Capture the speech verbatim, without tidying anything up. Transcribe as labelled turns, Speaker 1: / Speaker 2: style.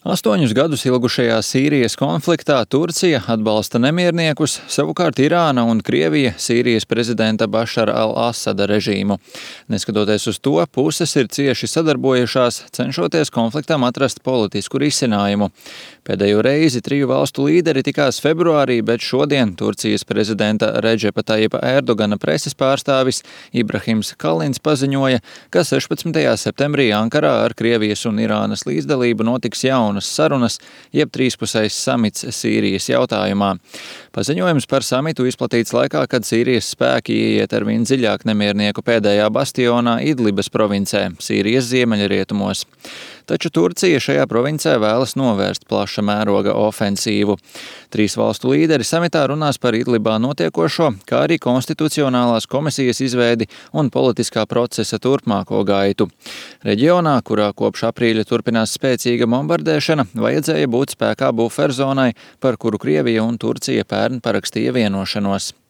Speaker 1: Astoņus gadus ilgušajā Sīrijas konfliktā Turcija atbalsta nemierniekus, savukārt Irāna un Krievija Sīrijas prezidenta Bašara al-Asada režīmu. Neskatoties uz to, puses ir cieši sadarbojušās, cenšoties konfliktam atrast politisku risinājumu. Pēdējo reizi triju valstu līderi tikās februārī, bet šodien Turcijas prezidenta Redžepa Tajipa Erdogana preses pārstāvis Ibrahims Kalins paziņoja, ka sešpadsmitajā septembrī Ankarā ar Krievijas un Irānas līdzdalību notiks jaunas sarunas, jeb trīspusējs samits Sīrijas jautājumā. Paziņojums par samitu izplatīts laikā, kad Sīrijas spēki ieiet ar vien dziļāk nemiernieku pēdējā bastionā Idlibas provincē, Sīrijas ziemeļrietumos. Taču Turcija šajā provincē vēlas novērst plaša mēroga ofensīvu. Trīs valstu līderi samitā runās par Idlibā notiekošo, kā arī konstitucionālās komisijas izveidi un politiskā procesa turpmāko gaitu. Reģionā, kurā kopš aprīļa turpinās spēcīga bombardēšana, vajadzēja būt spēkā buferzonai, par kuru Krievija un Turcija pērn parakstīja vienošanos.